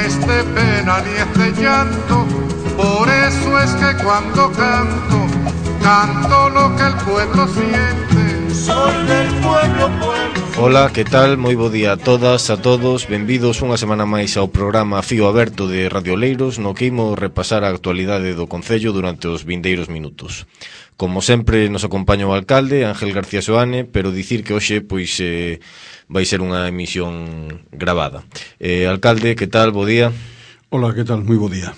es de pena ni es de llanto, por eso es que cuando canto, canto lo que el pueblo siente. Soy del pueblo, pueblo. Ola, que tal? Moi bo día a todas, a todos. Benvidos unha semana máis ao programa Fío Aberto de Radio Oleiros, no que imos repasar a actualidade do Concello durante os vindeiros minutos. Como sempre, nos acompaña o alcalde, Ángel García Soane, pero dicir que hoxe, pois, vai ser unha emisión gravada. Alcalde, que tal? Bo día. Ola, que tal? Moi bo día.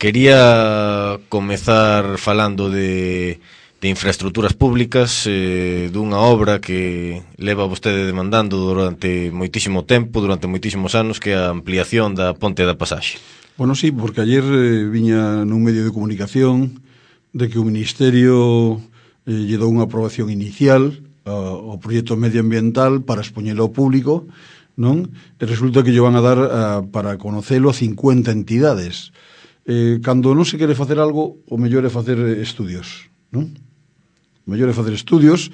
Quería comezar falando de infraestructuras públicas, dunha obra que leva vostede demandando durante moitísimo tempo, durante moitísimos anos, que é a ampliación da Ponte da Pasaxe. Bueno, sí, porque ayer viña nun medio de comunicación de que o Ministerio lle dou unha aprobación inicial ao proxecto medioambiental para expoñelo ao público, non? E resulta que lle van a dar para conocelo a 50 entidades. Cando non se quere facer algo, o mellor é facer estudios, non? O mellor é facer estudios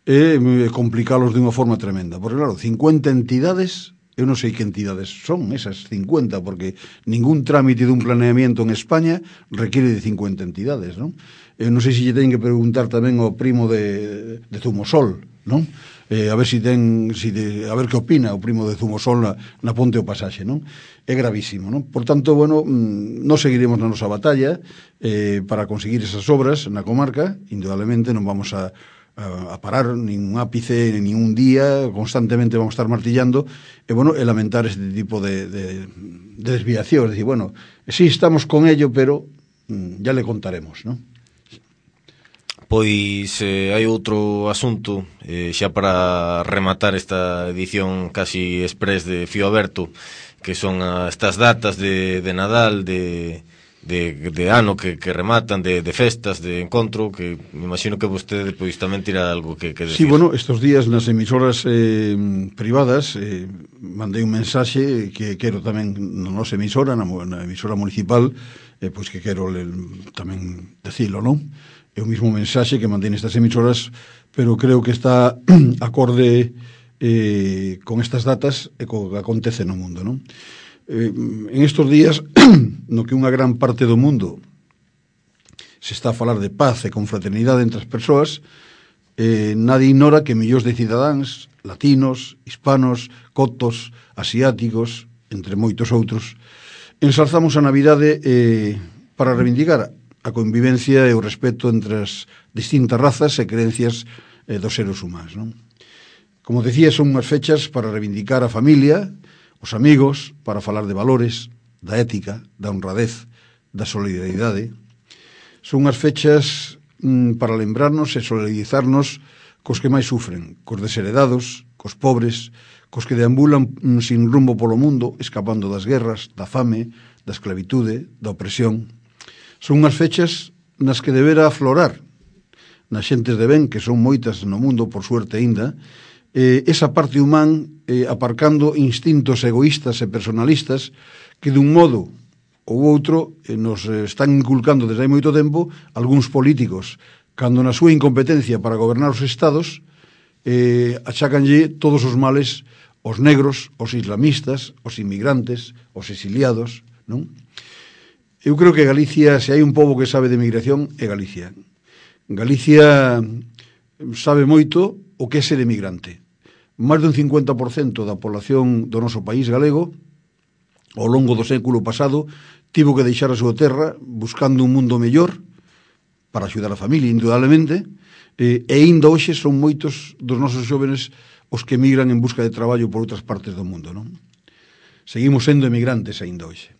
e complicalos de unha forma tremenda. Porque, claro, 50 entidades, eu non sei que entidades son esas 50, porque ningún trámite dun planeamiento en España requiere de 50 entidades, non? Eu non sei se lle teñen que preguntar tamén ao primo de Zumosol, non? A ver a ver que opina o primo de Zumosol na Ponte o Pasaxe, non? É gravísimo, non? Por tanto, bueno, nós seguiremos na nosa batalla para conseguir esas obras na comarca. Indudablemente non vamos a parar nin un ápice, nin un día, constantemente vamos a estar martillando e, bueno, lamentar este tipo de desviación. Es decir, bueno, sí estamos con ello, pero ya le contaremos, non? Pois hai outro asunto, xa para rematar esta edición casi express de Fío Aberto, que son estas datas de Nadal, de ano que rematan, de festas, de encontro, que me imagino que vostede pois tamén tira algo que decir. Sí, bueno, estos días nas emisoras privadas mandei un mensaxe que quero tamén na nosa emisora, na emisora municipal, pois que quero tamén decilo, non? É o mismo mensaxe que mandei nestas emisoras, pero creo que está acorde con estas datas e co que acontece no mundo, non? En estes días, no que unha gran parte do mundo se está a falar de paz e confraternidade entre as persoas, nadie ignora que millóns de cidadáns, latinos, hispanos, cotos, asiáticos, entre moitos outros, ensalzamos a Navidade para reivindicar a convivencia e o respeto entre as distintas razas e creencias dos seres humanos, non? Como decía, son unhas fechas para reivindicar a familia, os amigos, para falar de valores, da ética, da honradez, da solidaridade. Son unhas fechas para lembrarnos e solidarizarnos cos que máis sufren, cos desheredados, cos pobres, cos que deambulan sin rumbo polo mundo, escapando das guerras, da fame, da esclavitude, da opresión. Son unhas fechas nas que debera aflorar nas xentes de ben, que son moitas no mundo, por suerte aínda, esa parte humán, aparcando instintos egoístas e personalistas que dun modo ou outro nos están inculcando desde hai moito tempo algúns políticos, cando na súa incompetencia para gobernar os estados achacanlle todos os males aos negros, aos islamistas, aos inmigrantes, aos exiliados, non? Eu creo que Galicia, se hai un pobo que sabe de migración, é Galicia. Galicia sabe moito o que é ser emigrante. Máis dun 50% da población do noso país galego, ao longo do século pasado, tivo que deixar a súa terra buscando un mundo mellor para axudar a familia, indudablemente, e ainda hoxe son moitos dos nosos xóvenes os que emigran en busca de traballo por outras partes do mundo, non? Seguimos sendo emigrantes ainda hoxe.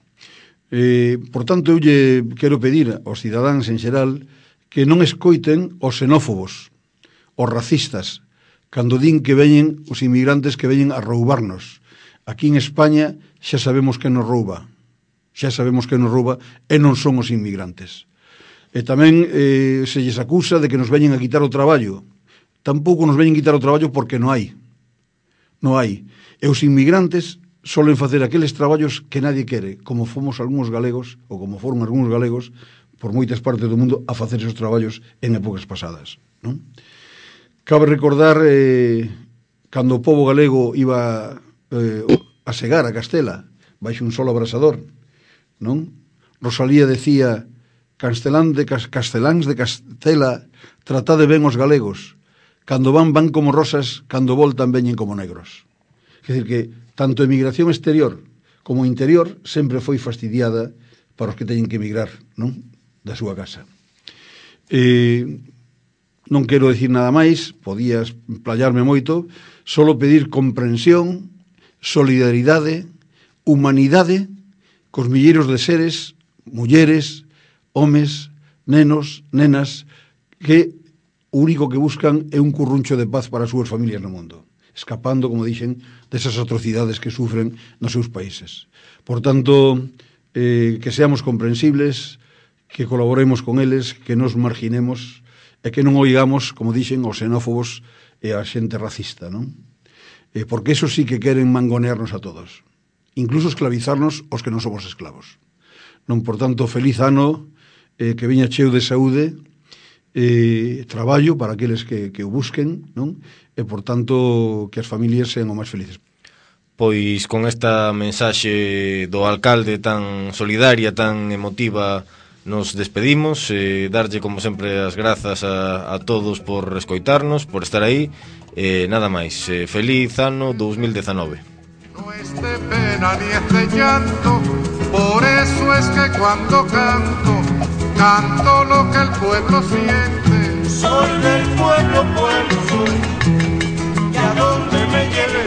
Por tanto, eu lle quero pedir aos cidadáns en xeral que non escoiten os xenófobos, os racistas, cando din que veñen os inmigrantes que veñen a roubarnos. Aquí en España xa sabemos que nos rouba, e non son os inmigrantes. E tamén se lles acusa de que nos veñen a quitar o traballo. Tampouco nos veñen a quitar o traballo porque non hai. E os inmigrantes solen facer aqueles traballos que nadie quere, como fomos algúns galegos, ou como foron algúns galegos, por moitas partes do mundo, a facer esos traballos en épocas pasadas, non? Cabe recordar cando o pobo galego iba a segar a Castela baixo un sol abrasador, non? Rosalía decía: Casteláns de Castela, tratade ben os galegos, cando van como rosas, cando voltan veñen como negros. Quer dizer que tanto a emigración exterior como interior sempre foi fastidiada para os que teñen que emigrar, non? Da súa casa. Non quero decir nada máis, podía explayarme moito, solo pedir comprensión, solidaridade, humanidade cos milleiros de seres, mulleres, homes, nenos, nenas, que o único que buscan é un curruncho de paz para as súas familias no mundo, escapando, como dixen, desas atrocidades que sufren nos seus países. Por tanto, que seamos comprensibles, que colaboremos con eles, que nos marginemos e que non oigamos, como dixen, os xenófobos e a xente racista, non? Porque eso sí que queren mangonearnos a todos, incluso esclavizarnos os que non somos esclavos. Non, por tanto, feliz ano, que veña cheo de saúde, traballo para aqueles que o busquen, non? E, por tanto, que as familias sean o máis felices. Pois con esta mensaxe do alcalde tan solidaria, tan emotiva, nos despedimos, darlle como sempre as grazas a todos por escoitarnos, por estar aí, nada máis. Feliz ano 2019. No es de pena ni es de llanto, por eso es que cuando canto, canto lo que el pueblo siente. Soy del pueblo, pueblo soy, y a donde me lleve